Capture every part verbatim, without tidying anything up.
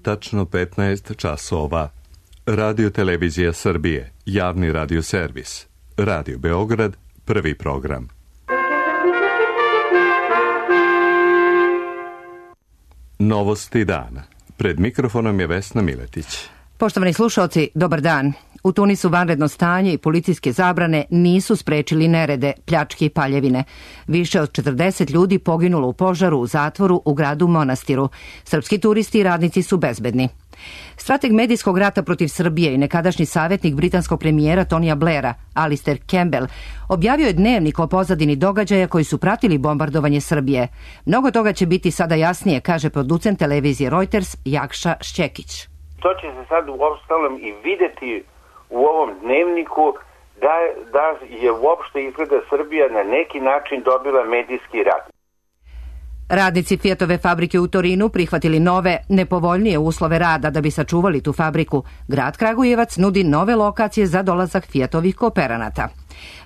tačno petnaest časova. Radio Televizija Srbije, javni radio servis. Radio Beograd, prvi program. Novosti dana. Pred mikrofonom je Vesna Miletić. Poštovani slušalci, dobar dan. U Tunisu vanredno stanje i policijske zabrane nisu sprečili nerede, pljačke i paljevine. Više od četrdeset ljudi poginulo u požaru u zatvoru u gradu Monastiru. Srpski turisti i radnici su bezbedni. Strateg medijskog rata protiv Srbije i nekadašnji savjetnik britanskog premijera Tonija Blaira, Alistair Campbell, objavio je dnevnik o pozadini događaja koji su pratili bombardovanje Srbije. Mnogo toga će biti sada jasnije, kaže producent televizije Reuters Jakša Šćekić. To će se sad uostalom i videti u ovom dnevniku da, da je uopšte izgleda Srbija na neki način dobila medijski rat. Radnici Fiatove fabrike u Torinu prihvatili nove, nepovoljnije uslove rada da bi sačuvali tu fabriku. Grad Kragujevac nudi nove lokacije za dolazak Fiatovih kooperanata.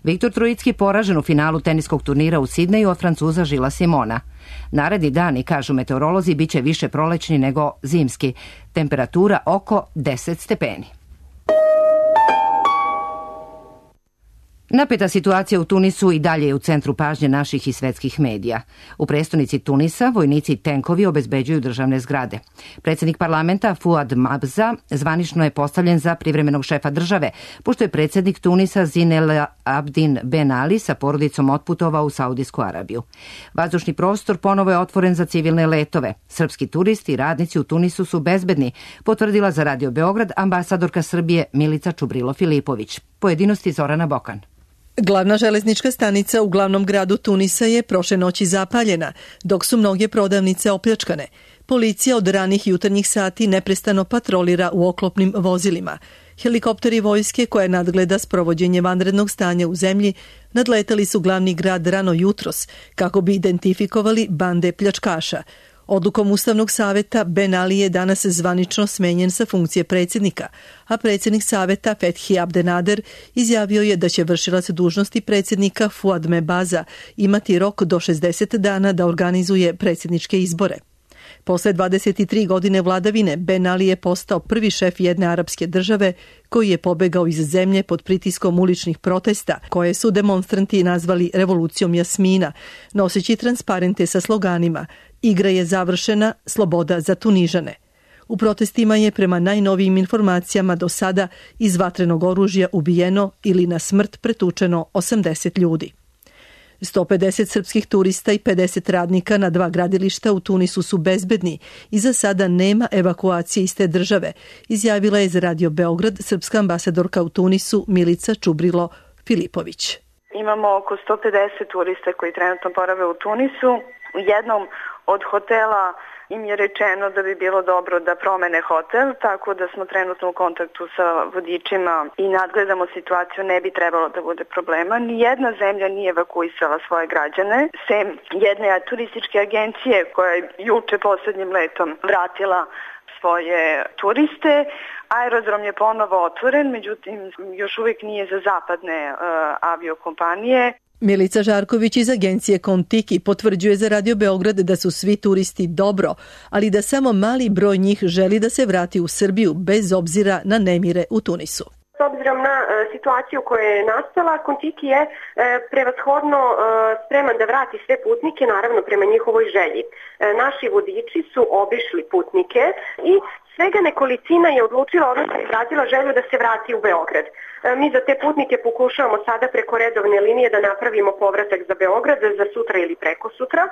Viktor Trojicki poražen u finalu teniskog turnira u Sidneju od Francuza Žila Simona. Naredni dani, kažu meteorolozi, bit će više prolećni nego zimski. Temperatura oko deset stepeni. Napeta situacija u Tunisu i dalje je u centru pažnje naših i svetskih medija. U prestonici Tunisa vojnici i tenkovi obezbeđuju državne zgrade. Predsjednik parlamenta Fuad Mabza zvanično je postavljen za privremenog šefa države, pošto je predsjednik Tunisa Zine Abdin Ben Ali sa porodicom otputovao u Saudijsku Arabiju. Vazdušni prostor ponovo je otvoren za civilne letove. Srpski turisti i radnici u Tunisu su bezbedni, potvrdila za Radio Beograd ambasadorka Srbije Milica Čubrilo-Filipović. Pojedinosti Zorana Bokan. Glavna železnička stanica u glavnom gradu Tunisa je prošle noći zapaljena, dok su mnoge prodavnice opljačkane. Policija od ranih jutarnjih sati neprestano patrolira u oklopnim vozilima. Helikopteri vojske koje nadgleda sprovođenje vanrednog stanja u zemlji nadletali su glavni grad rano jutros kako bi identifikovali bande pljačkaša. Odlukom Ustavnog saveta Ben Ali je danas zvanično smenjen sa funkcije predsjednika, a predsjednik saveta Fethi Abdenader izjavio je da će vršilac dužnosti predsjednika Fuad Mebaza imati rok do šezdeset dana da organizuje predsjedničke izbore. Posle dvadeset tri godine vladavine, Ben Ali je postao prvi šef jedne arapske države koji je pobegao iz zemlje pod pritiskom uličnih protesta, koje su demonstranti nazvali revolucijom Jasmina, noseći transparente sa sloganima "Igra je završena, sloboda za Tunižane". U protestima je prema najnovijim informacijama do sada iz vatrenog oružja ubijeno ili na smrt pretučeno osamdeset ljudi. sto pedeset srpskih turista i pedeset radnika na dva gradilišta u Tunisu su bezbedni i za sada nema evakuacije iz te države, izjavila je za Radio Beograd srpska ambasadorka u Tunisu Milica Čubrilo-Filipović. Imamo oko sto pedeset turista koji trenutno borave u Tunisu. U jednom od hotela im je rečeno da bi bilo dobro da promene hotel, tako da smo trenutno u kontaktu sa vodičima i nadgledamo situaciju, ne bi trebalo da bude problema. Nijedna zemlja nije evakuisala svoje građane, sem jedne turističke agencije koja je juče poslednjim letom vratila svoje turiste. Aerodrom je ponovo otvoren, međutim još uvijek nije za zapadne uh, aviokompanije. Milica Žarković iz agencije Kontiki potvrđuje za Radio Beograd da su svi turisti dobro, ali da samo mali broj njih želi da se vrati u Srbiju bez obzira na nemire u Tunisu. S obzirom na e, situaciju koja je nastala, Kontiki je e, prevashodno e, spreman da vrati sve putnike, naravno prema njihovoj želji. E, naši vodiči su obišli putnike i svega nekolicina je odlučila, odnosno izrazila želju da se vrati u Beograd. E, mi za te putnike pokušavamo sada preko redovne linije da napravimo povratak za Beograd za sutra ili preko sutra.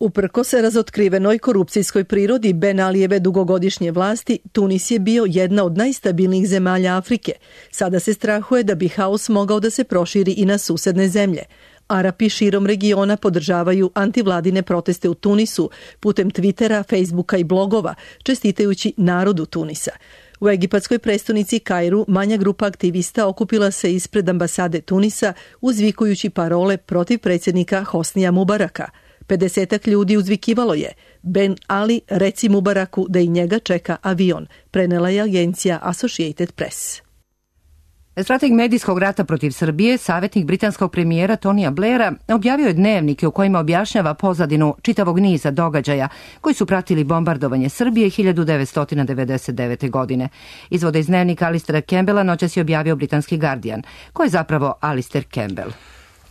Uprkos razotkrivenoj korupcijskoj prirodi Ben Alijeve dugogodišnje vlasti, Tunis je bio jedna od najstabilnijih zemalja Afrike. Sada se strahuje da bi haos mogao da se proširi i na susedne zemlje. Arapi širom regiona podržavaju antivladine proteste u Tunisu putem Twittera, Facebooka i blogova, čestitajući narodu Tunisa. U egipatskoj prestonici Kairu manja grupa aktivista okupila se ispred ambasade Tunisa uzvikujući parole protiv predsjednika Hosnija Mubaraka. pedesetak ljudi uzvikivalo je: Ben Ali, reci Mubaraku da i njega čeka avion, prenela je agencija Associated Press. Strateg medijskog rata protiv Srbije, savjetnik britanskog premijera Tonija Blaira, objavio je dnevnike u kojima objašnjava pozadinu čitavog niza događaja koji su pratili bombardovanje Srbije hiljadu devetsto devedeset devete. godine. Izvode iz dnevnika Alistera Campbella noćas je objavio britanski Guardian. Ko je zapravo Alistair Campbell?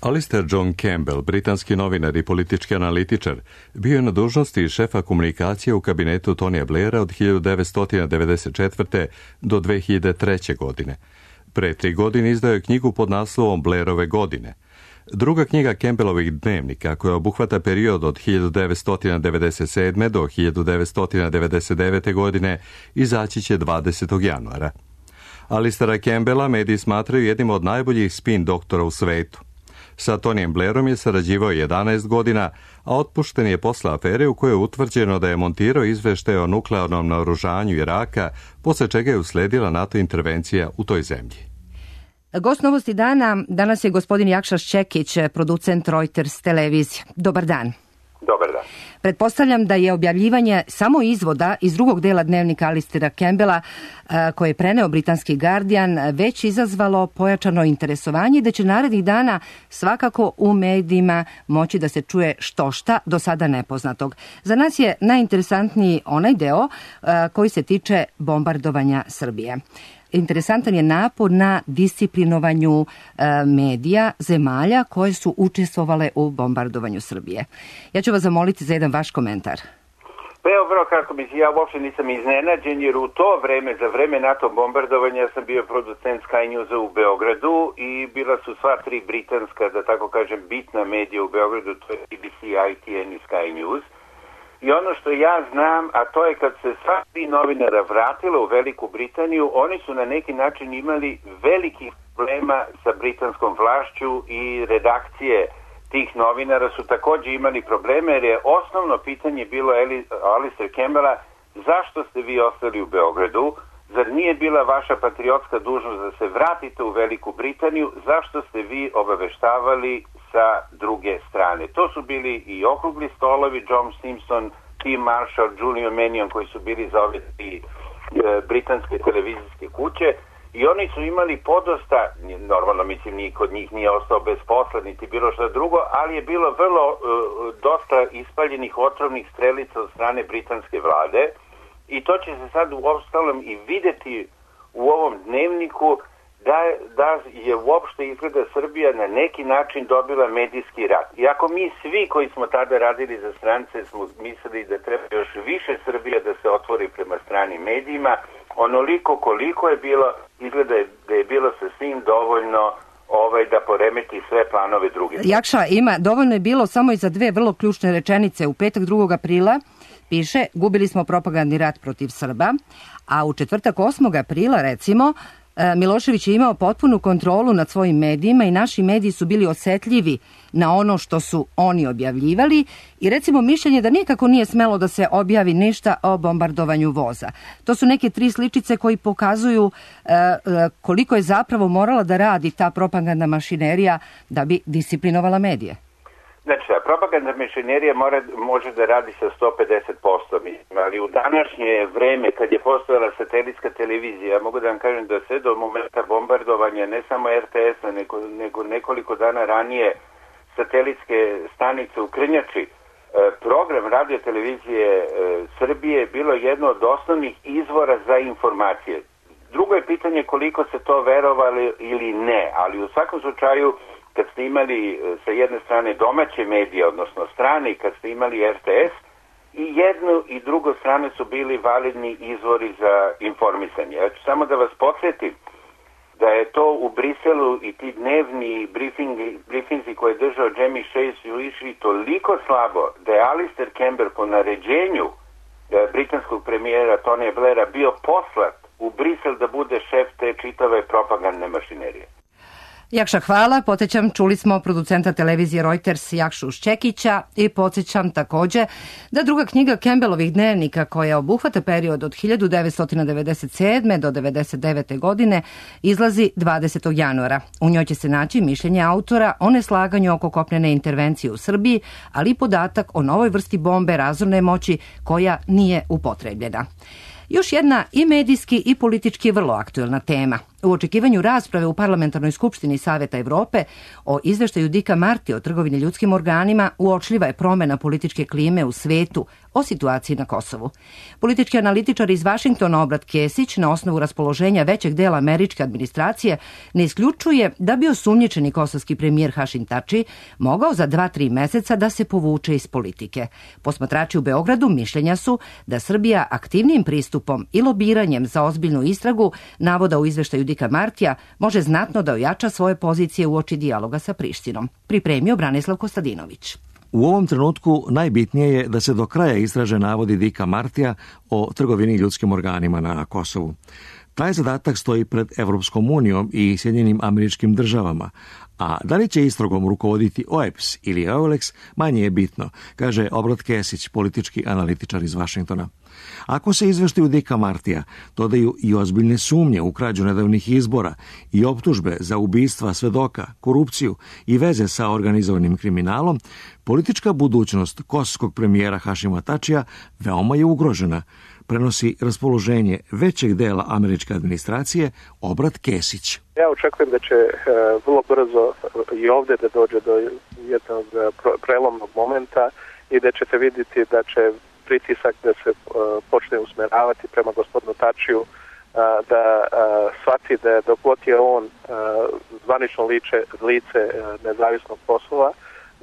Alistair John Campbell, britanski novinar i politički analitičar, bio je na dužnosti šefa komunikacije u kabinetu Tonija Blaira od hiljadu devetsto devedeset četvrte. do dve hiljade treće. godine. Pre tri godine izdao je knjigu pod naslovom Blairove godine. Druga knjiga Campbellovih dnevnika, koja obuhvata period od hiljadu devetsto devedeset sedme. do hiljadu devetsto devedeset devete. godine, izaći će dvadesetog januara. Alistaira Campbella mediji smatraju jednim od najboljih spin doktora u svetu. Sa Tonijem Blairom je sarađivao jedanaest godina, a otpušten je posle afere u kojoj je utvrđeno da je montirao izveštaje o nuklearnom naoružanju Iraka, posle čega je usledila NATO intervencija u toj zemlji. Gost Novosti dana danas je gospodin Jakša Šćekić, producent Reuters televizije. Dobar dan. Dobar dan. Pretpostavljam da je objavljivanje samo izvoda iz drugog dela dnevnika Alistaira Campbella, koje je preneo britanski Guardian, već izazvalo pojačano interesovanje i da će narednih dana svakako u medijima moći da se čuje štošta do sada nepoznatog. Za nas je najinteresantniji onaj deo koji se tiče bombardovanja Srbije. Interesantan je napor na disciplinovanju e, medija zemalja koje su učestvovale u bombardovanju Srbije. Ja ću vas zamoliti za jedan vaš komentar. Pa evo, vrlo kratko, ja uopšte nisam iznenađen, jer u to vreme, za vreme NATO bombardovanja, sam bio producent Sky Newsa u Beogradu i bila su sva tri britanska, da tako kažem, bitna medija u Beogradu, to je B B C, I T N i Sky News. I ono što ja znam, a to je kad se sva tri novinara vratila u Veliku Britaniju, oni su na neki način imali velikih problema sa britanskom vlašću i redakcije tih novinara su također imali probleme, jer je osnovno pitanje bilo Alistair Campbella: zašto ste vi ostali u Beogradu? Zar nije bila vaša patriotska dužnost da se vratite u Veliku Britaniju? Zašto ste vi obaveštavali sa druge strane? To su bili i okrugli stolovi, John Simpson, Tim Marshall, Julian Mannion, koji su bili za ove tri e, britanske televizijske kuće, i oni su imali podosta, normalno mislim niko od njih nije ostao bez posla niti bilo što drugo, ali je bilo vrlo e, dosta ispaljenih otrovnih strelica od strane britanske vlade, i to će se sad u ostalom i videti u ovom dnevniku, da, da je uopšte izgleda Srbija na neki način dobila medijski rat. I ako mi svi koji smo tada radili za strance smo mislili da treba još više Srbija da se otvori prema stranim medijima, onoliko koliko je bilo, izgleda da je bilo sasvim dovoljno ovaj, da poremeti sve planove druge. Jakša, ima, dovoljno je bilo samo i za dve vrlo ključne rečenice. U petak drugog aprila piše: gubili smo propagandni rat protiv Srba, a u četvrtak osmog aprila, recimo, Milošević je imao potpunu kontrolu nad svojim medijima i naši mediji su bili osetljivi na ono što su oni objavljivali, i recimo mišljenje da nikako nije smelo da se objavi ništa o bombardovanju voza. To su neke tri sličice koji pokazuju e, koliko je zapravo morala da radi ta propagandna mašinerija da bi disciplinovala medije. Znači, propagandna mašinerija mora, može da radi sa sto pedeset posto, ali u današnje vreme, kad je postojala satelitska televizija, ja mogu da vam kažem da sve do momenta bombardovanja, ne samo R T S-a, nego, nego nekoliko dana ranije satelitske stanice u Krnjači, program radio televizije Srbije je bilo jedno od osnovnih izvora za informacije. Drugo je pitanje koliko se to verovali ili ne, ali u svakom slučaju, kad ste imali sa jedne strane domaće medije, odnosno strane, kad ste imali R T S, i jednu i drugu strane su bili validni izvori za informisanje. Ja ću samo da vas podsjetim da je to u Briselu i ti dnevni briefingi, briefinzi koje je držao Jamie Chase su išli toliko slabo da je Alistair Campbell po naređenju britanskog premijera Tonija Blaira bio poslat u Brisel da bude šef te čitave propagandne mašinerije. Jakša, hvala. Podsjećam, čuli smo producenta televizije Reuters Jakšu Šćekića, i podsjećam također da druga knjiga Campbellovih dnevnika, koja obuhvata period od hiljadu devetsto devedeset sedme. do devedeset devete. godine, izlazi dvadesetog januara. U njoj će se naći mišljenje autora o neslaganju oko kopnene intervencije u Srbiji, ali i podatak o novoj vrsti bombe razorne moći koja nije upotrebljena. Još jedna i medijski i politički vrlo aktuelna tema. U očekivanju rasprave u Parlamentarnoj skupštini Saveta Evrope o izveštaju Dicka Martija o trgovini ljudskim organima uočljiva je promena političke klime u svetu o situaciji na Kosovu. Politički analitičar iz Vašingtona Obrat Kesić na osnovu raspoloženja većeg dela američke administracije ne isključuje da bi osumnjičeni kosovski premijer Hašim Tači mogao za dva, tri meseca da se povuče iz politike. Posmatrači u Beogradu mišljenja su da Srbija aktivnim pristupom i lobiranjem za ozbiljnu istragu navoda u izveštaju Dicka Martija može znatno da ojača svoje pozicije uoči dijaloga sa Prištinom. Pripremio Branislav Kostadinović. U ovom trenutku najbitnije je da se do kraja istraže navodi Dicka Martija o trgovini ljudskim organima na Kosovu. Taj zadatak stoji pred Evropskom unijom i Sjedinjenim Američkim Državama, a da li će istragom rukovoditi O E P S ili Eulex manje je bitno, kaže Obrat Kesić, politički analitičar iz Vašingtona. Ako se izveštaju Dicka Martija dodaju i ozbiljne sumnje u krađu nedavnih izbora i optužbe za ubistva svedoka, korupciju i veze sa organizovanim kriminalom, politička budućnost kosovskog premijera Hašima Tačija veoma je ugrožena, prenosi raspoloženje većeg dela američke administracije Obrat Kesić. Ja očekujem da će uh, vrlo brzo i ovdje da dođe do jednog uh, prelomnog momenta i da ćete vidjeti da će pritisak da se uh, počne usmeravati prema gospodinu Tačiju, uh, da uh, shvati da dok god je on uh, zvanično liče, lice uh, nezavisnog Kosova,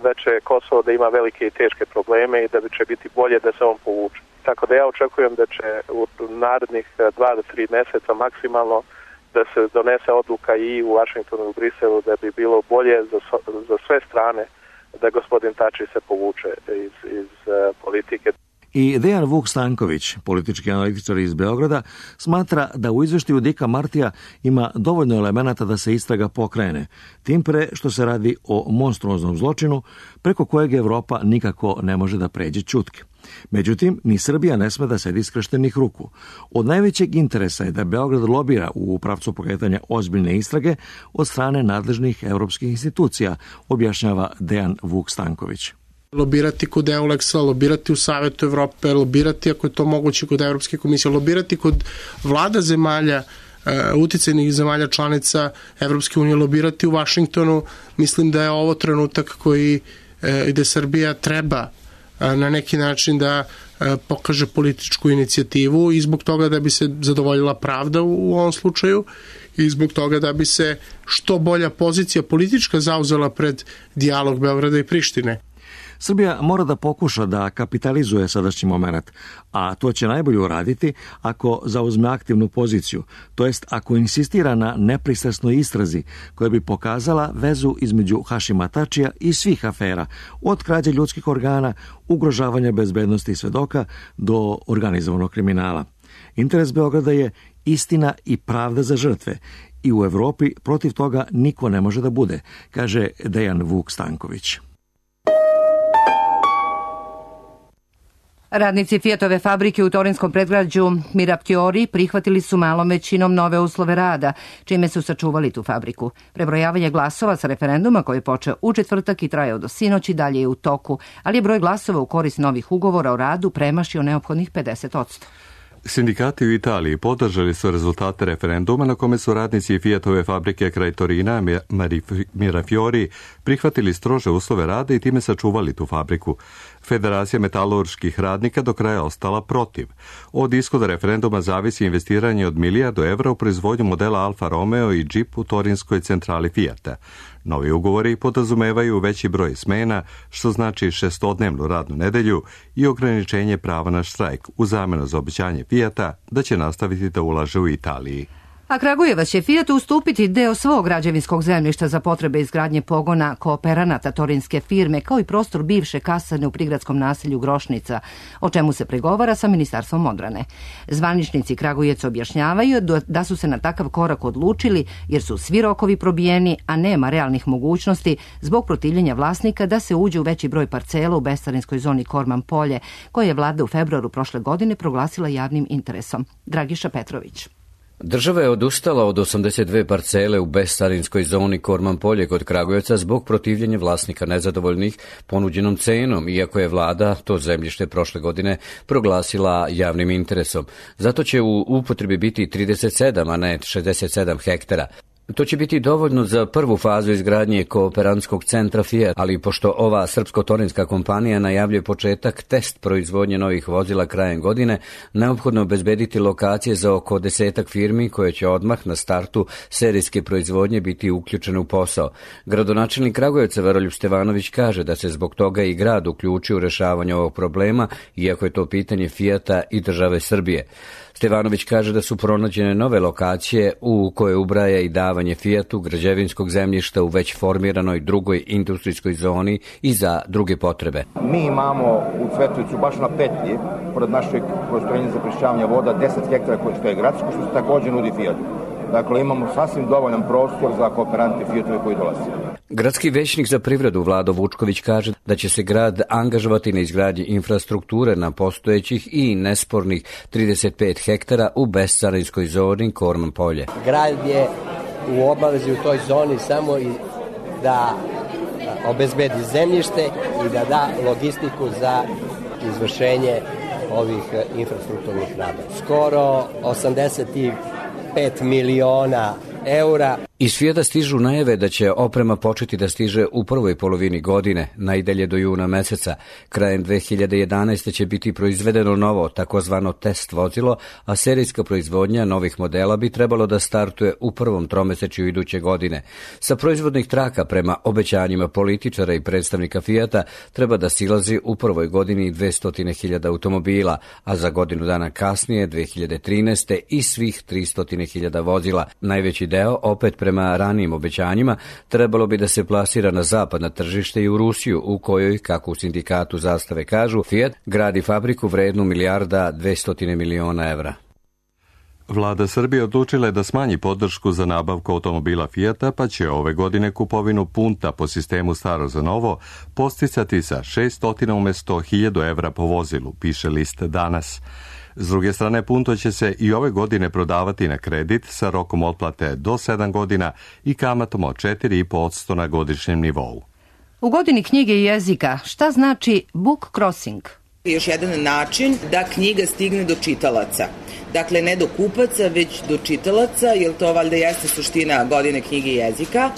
da će Kosovo da ima velike i teške probleme i da će biti bolje da se on povuče. Tako da ja očekujem da će u narednih dva do tri mjeseca maksimalno da se donese odluka i u Vašingtonu i u Briselu da bi bilo bolje za, za sve strane da gospodin Tači se povuče iz, iz uh, politike. I Dejan Vuk Stanković, politički analitičar iz Beograda, smatra da u izveštaju Dicka Martija ima dovoljno elemenata da se istraga pokrene, tim pre što se radi o monstruoznom zločinu preko kojeg Evropa nikako ne može da pređe ćutke. Međutim, ni Srbija ne sme da sedi skrštenih ruku. Od najvećeg interesa je da Beograd lobira u pravcu pokretanja ozbiljne istrage od strane nadležnih evropskih institucija, objašnjava Dejan Vuk Stanković. Lobirati kod Eulexa, lobirati u Savetu Evrope, lobirati ako je to moguće kod Evropske komisije, lobirati kod vlada zemalja, uticajnih zemalja članica Evropske unije, lobirati u Vašingtonu. Mislim da je ovo trenutak koji gde Srbija treba na neki način da pokaže političku inicijativu i zbog toga da bi se zadovoljila pravda u ovom slučaju i zbog toga da bi se što bolja pozicija politička zauzela pred dijalog Beograda i Prištine. Srbija mora da pokuša da kapitalizuje sadašnji moment, a to će najbolje uraditi ako zauzme aktivnu poziciju, to jest ako insistira na nepristrasnoj istrazi koja bi pokazala vezu između Hašima Tačija i svih afera, od krađe ljudskih organa, ugrožavanja bezbednosti svedoka do organizovanog kriminala. Interes Beograda je istina i pravda za žrtve i u Evropi protiv toga niko ne može da bude, kaže Dejan Vuk Stanković. Radnici Fiatove fabrike u torinskom predgrađu Mirafiori prihvatili su malom većinom nove uslove rada, čime su sačuvali tu fabriku. Prebrojavanje glasova sa referenduma koji je počeo u četvrtak i trajao do sinoć i dalje je u toku, ali je broj glasova u korist novih ugovora o radu premašio neophodnih pedeset posto. Sindikati u Italiji podržali su rezultate referenduma na kome su radnici Fiatove fabrike kraj Torina Mirafiori prihvatili strože uslove rada i time sačuvali tu fabriku. Federacija metalurških radnika do kraja ostala protiv. Od ishoda referenduma zavisi investiranje od milijardu evra u proizvodnju modela Alfa Romeo i Jeep u torinskoj centrali Fijata. Novi ugovori podrazumevaju veći broj smena, što znači šestodnevnu radnu nedelju i ograničenje prava na štrajk u zamenu za obećanje Fijata da će nastaviti da ulaže u Italiji. A Kragujevac će Fijatu ustupiti deo svog građevinskog zemljišta za potrebe izgradnje pogona kooperanata torinske firme, kao i prostor bivše kasarne u prigradskom naselju Grošnica, o čemu se pregovara sa Ministarstvom odbrane. Zvaničnici Kragujevca objašnjavaju da su se na takav korak odlučili jer su svi rokovi probijeni, a nema realnih mogućnosti zbog protivljenja vlasnika da se uđe u veći broj parcela u bescarinskoj zoni Korman polje, koje je vlada u februaru prošle godine proglasila javnim interesom. Dragiša Petrović. Država je odustala od osamdeset dve parcele u bescarinskoj zoni Korman polje kod Kragujevca zbog protivljenja vlasnika nezadovoljnih ponuđenom cenom, iako je vlada to zemljište prošle godine proglasila javnim interesom. Zato će u upotrebi biti trideset sedam, a ne šezdeset sedam hektara. To će biti dovoljno za prvu fazu izgradnje kooperantskog centra Fiat, ali pošto ova srpsko-torinska kompanija najavljuje početak test proizvodnje novih vozila krajem godine, neophodno obezbediti lokacije za oko desetak firmi koje će odmah na startu serijske proizvodnje biti uključene u posao. Gradonačelnik Kragujevca Veroljub Stevanović kaže da se zbog toga i grad uključio u rešavanje ovog problema, iako je to pitanje Fijata i države Srbije. Stevanović kaže da su pronađene nove lokacije u koje ubraja i davanje Fijatu građevinskog zemljišta u već formiranoj drugoj industrijskoj zoni i za druge potrebe. Mi imamo u Cvetlicu baš na petlji, pored našeg postrojenja za prečišćavanje voda, deset hektara koje stoje gradsko, što se također nudi Fijatu. Dakle, imamo sasvim dovoljan prostor za kooperante Fijatove koji dolaze. Gradski većnik za privredu Vlado Vučković kaže da će se grad angažovati na izgradnji infrastrukture na postojećih i nespornih trideset pet hektara u bescarinskoj zoni Korman polje. Grad je u obavezi u toj zoni samo i da obezbedi zemljište i da da logistiku za izvršenje ovih infrastrukturnih rada. Skoro osamdeset pet miliona eura. Iz Fijata stižu najave da će oprema početi da stiže u prvoj polovini godine, najdalje do juna meseca. Krajem dve hiljade jedanaeste. će biti proizvedeno novo, takozvano test vozilo, a serijska proizvodnja novih modela bi trebalo da startuje u prvom tromesečju iduće godine. Sa proizvodnih traka prema obećanjima političara i predstavnika Fijata treba da silazi u prvoj godini dvesta hiljada automobila, a za godinu dana kasnije, dve hiljade trinaeste. i svih tristo hiljada vozila. Najveći deo, opet prema ranijim obećanjima, trebalo bi da se plasira na zapadna tržište i u Rusiju, u kojoj, kako u sindikatu Zastave kažu, Fiat gradi fabriku vrednu milijarda dvesta miliona evra. Vlada Srbije odlučila je da smanji podršku za nabavku automobila Fijata, pa će ove godine kupovinu punta po sistemu staro za novo posticati sa šeststo umjesto hiljadu evra po vozilu, piše list Danas. S druge strane, punto će se i ove godine prodavati na kredit sa rokom otplate do sedam godina i kamatom od četiri zarez pet posto na godišnjem nivou. U godini knjige i jezika šta znači book crossing? Još jedan način da knjiga stigne do čitalaca. Dakle, ne do kupaca, već do čitalaca, jer to valjda jeste suština godine knjige i jezika.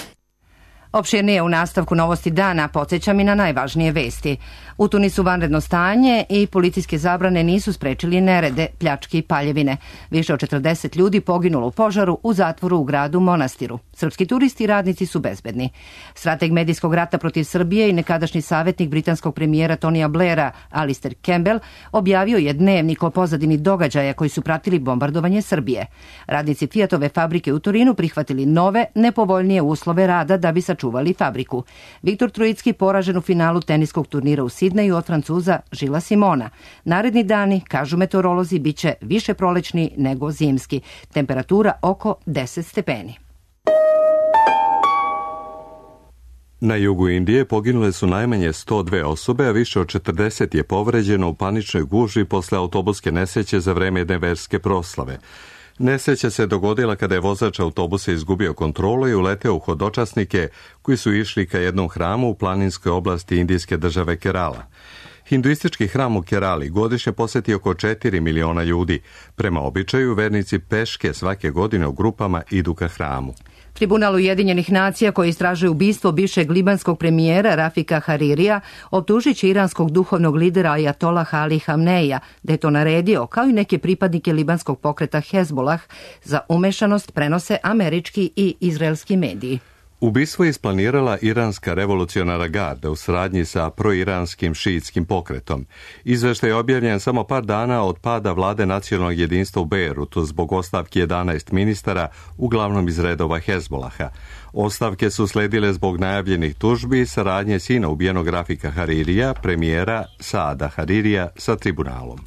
Opširnije u nastavku Novosti dana podsjećam i na najvažnije vesti. U Tunisu vanredno stanje i policijske zabrane nisu sprečili nerede, pljačke i paljevine. Više od četrdeset ljudi poginulo u požaru u zatvoru u gradu Monastiru. Srpski turisti i radnici su bezbedni. Strateg medijskog rata protiv Srbije i nekadašnji savjetnik britanskog premijera Tonija Blaira, Alistair Campbell, objavio je dnevnik o pozadini događaja koji su pratili bombardovanje Srbije. Radnici Fiatove fabrike u Torinu prihvatili nove, nepovoljnije uslove rada da bi sačuvali fabriku. Viktor Trojicki poražen u finalu teniskog turnira u Sidneju od Francuza Žila Simona. Naredni dani, kažu meteorolozi, bit će više prolećni nego zimski. Temperatura oko deset stepeni. Na jugu Indije poginule su najmanje sto dve osobe, a više od četrdeset je povređeno u paničnoj gužvi posle autobuske nesreće za vreme jedne verske proslave. Nesreća se dogodila kada je vozač autobusa izgubio kontrolu i uleteo u hodočasnike koji su išli ka jednom hramu u planinskoj oblasti indijske države Kerala. Hinduistički hram u Kerali godišnje poseti oko četiri miliona ljudi. Prema običaju, vernici peške svake godine u grupama idu ka hramu. Tribunal Ujedinjenih nacija koji istražuje ubistvo bivšeg libanskog premijera Rafika Haririja optužit će iranskog duhovnog lidera Ajatollaha Ali Hamneija da je to naredio, kao i neke pripadnike libanskog pokreta Hezbollah, za umešanost, prenose američki i izraelski mediji. Ubistvo je isplanirala iranska revolucionarna garda u saradnji sa proiranskim šiitskim pokretom. Izveštaj je objavljen samo par dana od pada vlade nacionalnog jedinstva u Bejrutu zbog ostavke jedanaest ministara, uglavnom iz redova Hezbolaha. Ostavke su sledile zbog najavljenih tužbi i saradnje sina ubijenog Rafika Haririja, premijera Saada Haririja, sa tribunalom.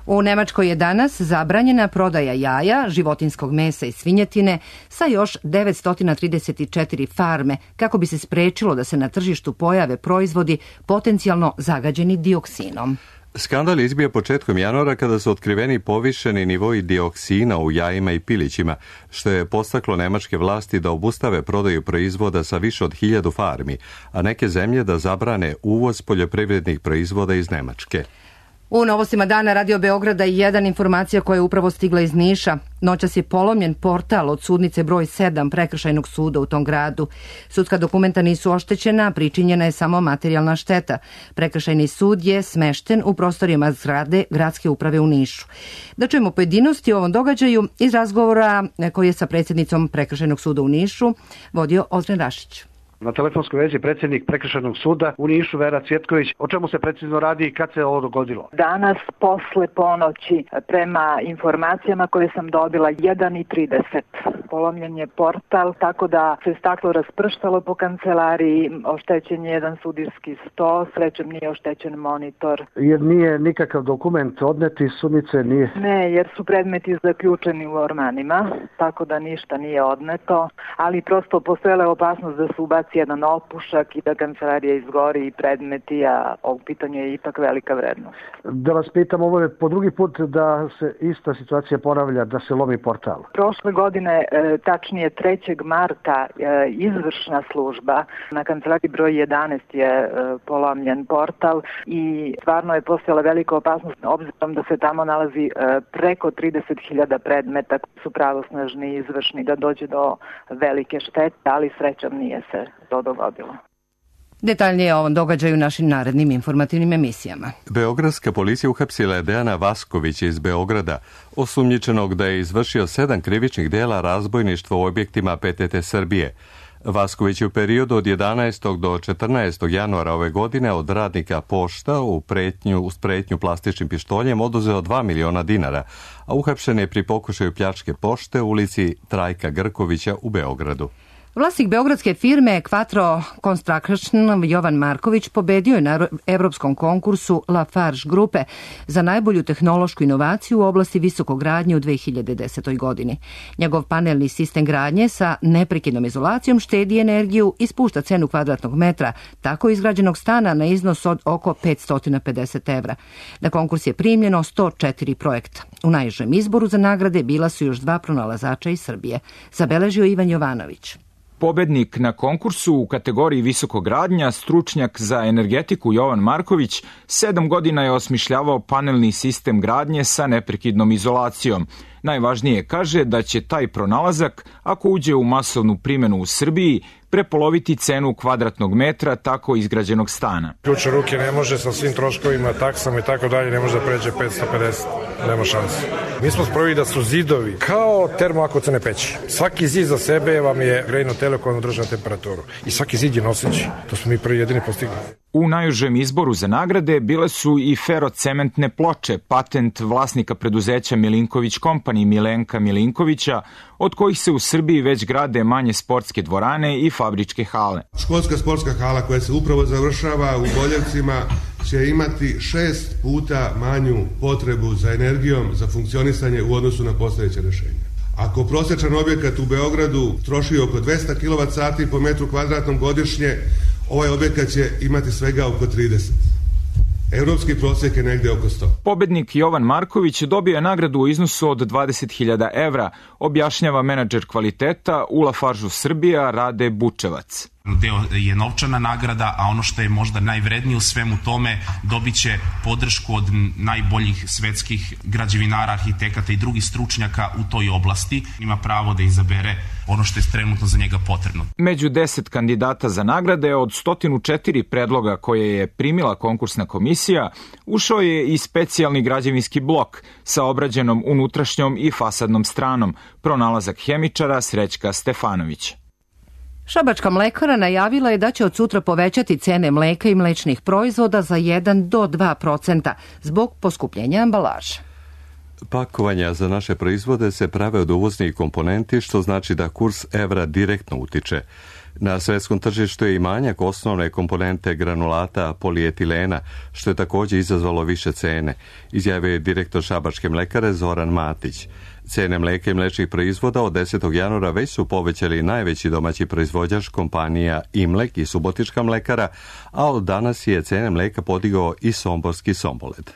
U Nemačkoj je danas zabranjena prodaja jaja, životinskog mesa i svinjetine sa još devetsto trideset četiri farme kako bi se sprečilo da se na tržištu pojave proizvodi potencijalno zagađeni dioksinom. Skandal izbija početkom januara kada su otkriveni povišeni nivoi dioksina u jajima i pilićima, što je postaklo nemačke vlasti da obustave prodaju proizvoda sa više od hiljadu farmi, a neke zemlje da zabrane uvoz poljoprivrednih proizvoda iz Nemačke. U novostima dana Radio Beograda je jedan informacija koja je upravo stigla iz Niša. Noćas je polomljen portal od sudnice broj sedam Prekršajnog suda u tom gradu. Sudska dokumenta nisu oštećena, pričinjena je samo materijalna šteta. Prekršajni sud je smešten u prostorijama zgrade Gradske uprave u Nišu. Da čujemo pojedinosti o ovom događaju iz razgovora koji je sa predsjednicom Prekršajnog suda u Nišu vodio Ozren Rašić. Na telefonskoj vezi predsjednik Prekršajnog suda u Nišu Vera Cvjetković. O čemu se precizno radi i kad se ovo dogodilo? Danas posle ponoći, prema informacijama koje sam dobila, jedan i trideset. Polomljen je portal, tako da se staklo rasprštalo po kancelariji, oštećen je jedan sudijski sto, srećom nije oštećen monitor. Jer nije nikakav dokument odneti sudnice, nije? Ne, jer su predmeti zaključeni u ormanima, tako da ništa nije odneto, ali prosto postojala je opasnost da se ubaci jedan opušak i da kancelarija izgori i predmeti, a u pitanju je ipak velika vrednost. Da vas pitam, ovo je po drugi put da se ista situacija ponavlja, da se lomi portal. Prošle godine, tačnije trećeg marta, izvršna služba na kancelariji broj jedanaest je polomljen portal i stvarno je postojala velika opasnost, obzirom da se tamo nalazi preko trideset hiljada predmeta koji su pravosnažni i izvršni, da dođe do velike štete, ali srećom nije se to dogodilo. Detaljnije o ovom događaju našim narednim informativnim emisijama. Beogradska policija uhapsila je Dejana Vaskovića iz Beograda, osumnjičenog da je izvršio sedam krivičnih dela razbojništva u objektima P T T Srbije. Vasković je u periodu od jedanaestog do četrnaestog januara ove godine od radnika Pošta u pretnju, uz pretnju plastičnim pištoljem oduzeo dva miliona dinara, a uhapšen je pri pokušaju pljačke pošte u ulici Trajka Grkovića u Beogradu. Vlasnik beogradske firme Quattro Construction Jovan Marković pobedio je na evropskom konkursu Lafarge grupe za najbolju tehnološku inovaciju u oblasti visokogradnje u dve hiljade desetoj. godini. Njegov panelni sistem gradnje sa neprekidnom izolacijom štedi energiju i spušta cenu kvadratnog metra tako izgrađenog stana na iznos od oko petsto pedeset evra. Na konkurs je primljeno sto četiri projekta. U najžem izboru za nagrade bila su još dva pronalazača iz Srbije, zabeležio Ivan Jovanović. Pobednik na konkursu u kategoriji visokogradnja, stručnjak za energetiku Jovan Marković, sedam godina je osmišljavao panelni sistem gradnje sa neprekidnom izolacijom. Najvažnije kaže da će taj pronalazak, ako uđe u masovnu primjenu u Srbiji, prepoloviti cenu kvadratnog metra tako izgrađenog stana. Ključ u ruke ne može sa svim troškovima, taksama i tako dalje, ne može da pređe petsto pedeset, nema šanse. Mi smo sprovili da su zidovi kao termoakocene peći. Svaki zid za sebe vam je grejno telo koje održava temperaturu. I svaki zid je noseći. To smo mi prvi jedini postigli. U najužem izboru za nagrade bile su i ferocementne ploče, patent vlasnika preduzeća Milinković Company Milenka Milinkovića, od kojih se u Srbiji već grade manje sportske dvorane i fabričke hale. Školska sportska hala koja se upravo završava u Boljevcima će imati šest puta manju potrebu za energijom, za funkcionisanje u odnosu na postojeće rješenje. Ako prosječan objekat u Beogradu troši oko dvesta kilovat sati po metru kvadratnom godišnje, ovaj objekat će imati svega oko trideset. Evropski prosjek je negde oko sto. Pobednik Jovan Marković dobio je nagradu u iznosu od dvadeset hiljada evra, objašnjava menadžer kvaliteta u Lafargeu Srbija Rade Bučevac. Deo je novčana nagrada, a ono što je možda najvrednije u svemu tome, dobit će podršku od najboljih svetskih građevinara, arhitekata i drugih stručnjaka u toj oblasti. Ima pravo da izabere ono što je trenutno za njega potrebno. Među deset kandidata za nagrade od sto četiri predloga koje je primila konkursna komisija, ušao je i specijalni građevinski blok sa obrađenom unutrašnjom i fasadnom stranom, pronalazak hemičara Srećka Stefanovića. Šabačka mlekara najavila je da će od sutra povećati cene mleka i mlečnih proizvoda za jedan do dva procenta zbog poskupljenja ambalaže. Pakovanja za naše proizvode se prave od uvoznih komponenti, što znači da kurs evra direktno utiče. Na svetskom tržištu je i manjak osnovne komponente granulata polietilena, što je također izazvalo više cene, izjavio je direktor šabačke mlekare Zoran Matić. Cene mleka i mlečnih proizvoda od desetog januara već su povećali najveći domaći proizvođač kompanija Imlek i Subotička mlekara, a od danas je cene mleka podigao i somborski Somboled.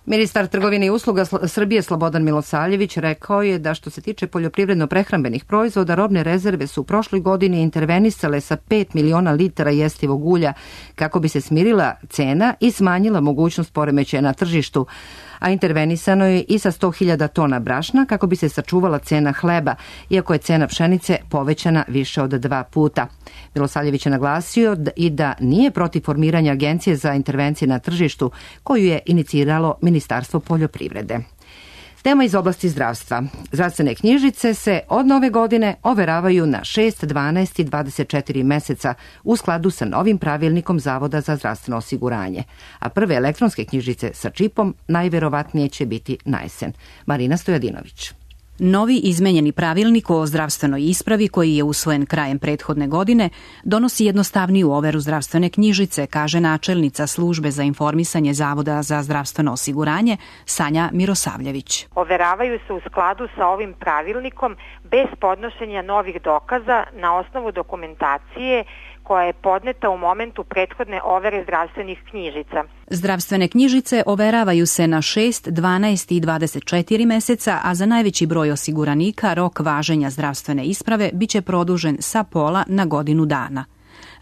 Ministar trgovine i usluga Srbije Slobodan Milosavljević rekao je da što se tiče poljoprivredno-prehrambenih proizvoda, robne rezerve su u prošloj godini intervenisale sa pet miliona litara jestivog ulja kako bi se smirila cena i smanjila mogućnost poremećaja na tržištu, a intervenisano je i sa sto hiljada tona brašna kako bi se sačuvala cena hleba, iako je cena pšenice povećana više od dva puta. Milosavljević je naglasio i da nije protiv formiranja agencije za intervencije na tržištu koju je iniciralo Ministarstvo poljoprivrede. Tema iz oblasti zdravstva. Zdravstvene knjižice se od nove godine overavaju na šest, dvanaest i dvadeset četiri meseca u skladu sa novim pravilnikom Zavoda za zdravstveno osiguranje, a prve elektronske knjižice sa čipom najverovatnije će biti na jesen. Marina Stojadinović. Novi izmenjeni pravilnik o zdravstvenoj ispravi koji je usvojen krajem prethodne godine donosi jednostavniju overu zdravstvene knjižice, kaže načelnica službe za informisanje Zavoda za zdravstveno osiguranje Sanja Mirosavljević. Overavaju se u skladu sa ovim pravilnikom bez podnošenja novih dokaza na osnovu dokumentacije koja je podneta u momentu prethodne overe zdravstvenih knjižica. Zdravstvene knjižice overavaju se na šest, dvanaest i dvadeset četiri meseca, a za najveći broj osiguranika rok važenja zdravstvene isprave biće produžen sa pola na godinu dana.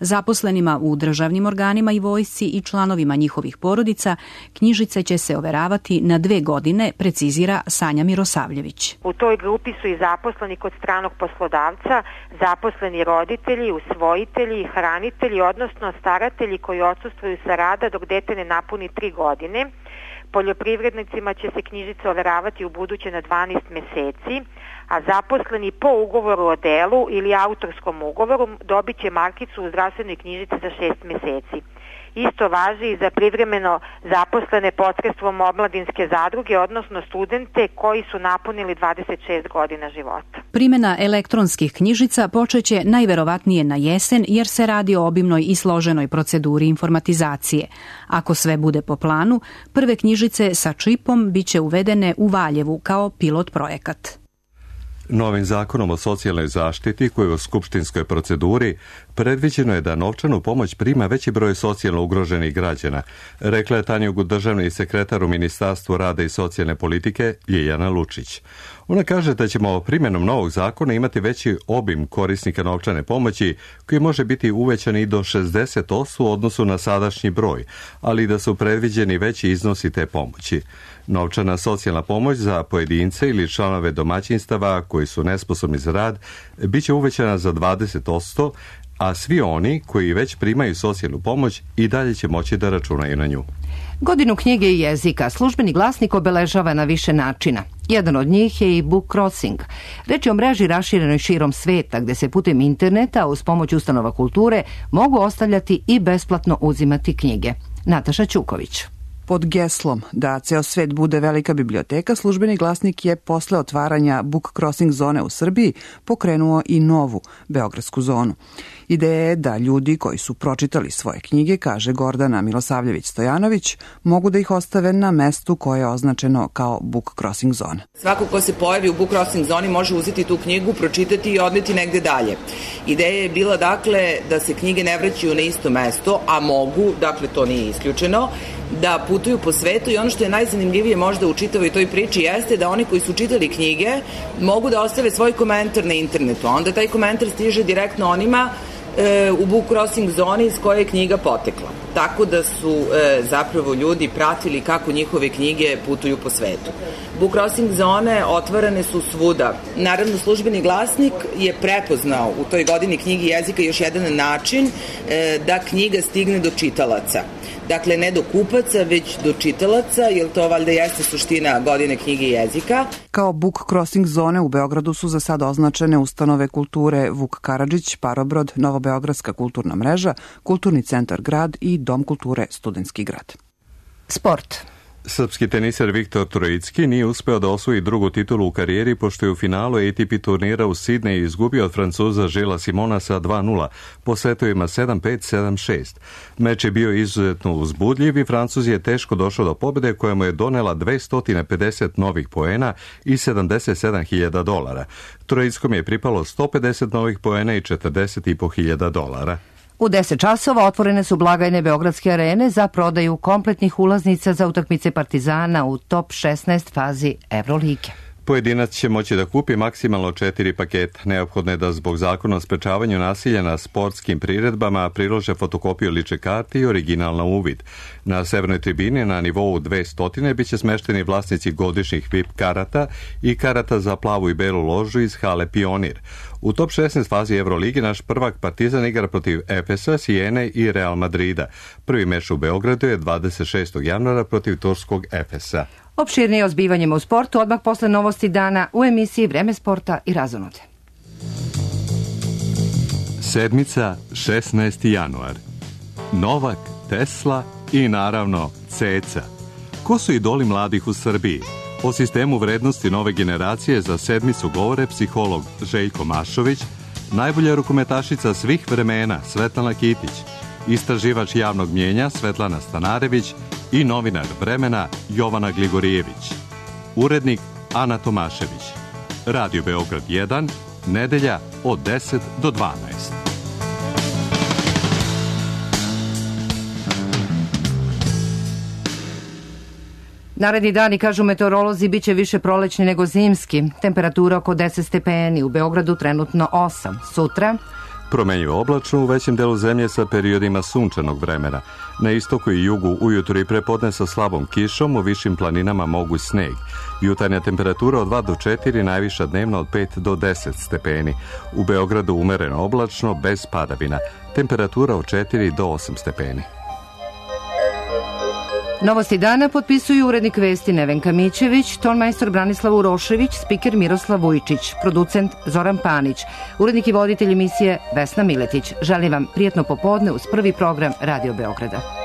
Zaposlenima u državnim organima i vojsci i članovima njihovih porodica knjižice će se overavati na dve godine, precizira Sanja Mirosavljević. U toj grupi su i zaposleni kod stranog poslodavca, zaposleni roditelji, usvojitelji, hranitelji, odnosno staratelji koji odsustvuju sa rada dok dete ne napuni tri godine. Poljoprivrednicima će se knjižice overavati u buduće na dvanaest meseci, a zaposleni po ugovoru o delu ili autorskom ugovoru dobit će markicu u zdravstvenoj knjižici za šest meseci. Isto važi i za privremeno zaposlene posredstvom omladinske zadruge, odnosno studente koji su napunili dvadeset šest godina života. Primjena elektronskih knjižica počeće najverovatnije na jesen jer se radi o obimnoj i složenoj proceduri informatizacije. Ako sve bude po planu, prve knjižice sa čipom biće uvedene u Valjevu kao pilot projekat. Novim zakonom o socijalnoj zaštiti, koji je u skupštinskoj proceduri, predviđeno je da novčanu pomoć prima veći broj socijalno ugroženih građana, rekla je Tanjugu državni sekretar u Ministarstvu rada i socijalne politike Ljiljana Lučić. Ona kaže da ćemo primjenom novog zakona imati veći obim korisnika novčane pomoći, koji može biti uvećan i do šezdeset posto u odnosu na sadašnji broj, ali da su predviđeni veći iznosi te pomoći. Novčana socijalna pomoć za pojedince ili članove domaćinstava koji su nesposobni za rad bit će uvećana za dvadeset posto, a svi oni koji već primaju socijalnu pomoć i dalje će moći da računaju na nju. Godinu knjige i jezika Službeni glasnik obeležava na više načina. Jedan od njih je i Book Crossing. Reč je o mreži raširenoj širom sveta, gde se putem interneta uz pomoć ustanova kulture mogu ostavljati i besplatno uzimati knjige. Nataša Ćuković. Pod geslom da ceo svet bude velika biblioteka, Službeni glasnik je posle otvaranja Book Crossing zone u Srbiji pokrenuo i novu beogradsku zonu. Ideja je da ljudi koji su pročitali svoje knjige, kaže Gordana Milosavljević-Stojanović, mogu da ih ostave na mestu koje je označeno kao Book Crossing zona. Svako ko se pojavi u Book Crossing zoni može uzeti tu knjigu, pročitati i odneti negde dalje. Ideja je bila dakle da se knjige ne vraćaju na isto mesto, a mogu, dakle to nije isključeno, da putuju po svetu i ono što je najzanimljivije možda u čitavoj toj priči jeste da oni koji su čitali knjige mogu da ostave svoj komentar na internetu, a onda taj komentar stiže direktno onima e, u Book Crossing zoni iz koje je knjiga potekla. Tako da su e, zapravo ljudi pratili kako njihove knjige putuju po svetu. Book Crossing zone otvarane su svuda. Naravno, Službeni glasnik je prepoznao u toj godini knjigi jezika još jedan način e, da knjiga stigne do čitalaca. Dakle, ne do kupaca, već do čitalaca, jer to valjda jeste suština godine knjige jezika. Kao Book Crossing zone u Beogradu su za sad označene ustanove kulture Vuk Karadžić, Parobrod, Novobeogradska kulturna mreža, Kulturni centar Grad i Dom kulture Studentski grad. Sport. Srpski teniser Viktor Trojicki nije uspeo da osvoji drugu titulu u karijeri pošto je u finalu A T P turnira u Sidneju izgubio od Francuza Žila Simona sa dva nula po setovima sedam pet sedam šest. Meč je bio izuzetno uzbudljiv i Francuz je teško došao do pobjede koja mu je donela dvesta pedeset novih poena i sedamdeset sedam hiljada dolara. Trojickom je pripalo sto pedeset novih poena i četrdeset i po hiljada dolara. U deset časova otvorene su blagajne Beogradske arene za prodaju kompletnih ulaznica za utakmice Partizana u top šesnaest fazi Evrolige. Pojedinac će moći da kupi maksimalno četiri paketa. Neophodno je da zbog zakona o sprečavanju nasilja na sportskim priredbama prilože fotokopiju lične karte i original na uvid. Na severnoj tribini na nivou dvesta biće smešteni vlasnici godišnjih V I P karata i karata za plavu i belu ložu iz hale Pionir. U top šesnaest fazi Evrolige naš prvak Partizan igra protiv Efesa, Sijene i Real Madrida. Prvi meč u Beogradu je dvadeset šestog januara protiv turskog Efesa. Opširnije o zbivanjima u sportu odmah posle novosti dana u emisiji Vreme sporta i razonode. Sedmica, šesnaesti januar. Novak, Tesla i naravno Ceca. Ko su idoli mladih u Srbiji? O sistemu vrednosti nove generacije za sedmicu govore psiholog Željko Mašović, najbolja rukometašica svih vremena Svetlana Kitić, istraživač javnog mnjenja Svetlana Stanarević i novinar Vremena Jovana Gligorijević. Urednik Ana Tomašević. Radio Beograd jedan, nedelja od deset do dvanaest. Naredni dani, kažu meteorolozi, bit će više prolećni nego zimski. Temperatura oko deset stepeni, u Beogradu trenutno osam. Sutra promenjivo oblačno u većem delu zemlje sa periodima sunčanog vremena. Na istoku i jugu ujutru i prepodne sa slabom kišom, u višim planinama moguć sneg. Jutarnja temperatura od dva do četiri, najviša dnevna od pet do deset stepeni. U Beogradu umereno oblačno, bez padavina. Temperatura od četiri do osam stepeni. Novosti dana potpisuju urednik vesti Nevenka Mićević, tonmajstor Branislav Urošević, spiker Miroslav Vujčić, producent Zoran Panić, urednik i voditelj emisije Vesna Miletić. Želim vam prijatno popodne uz prvi program Radio Beograda.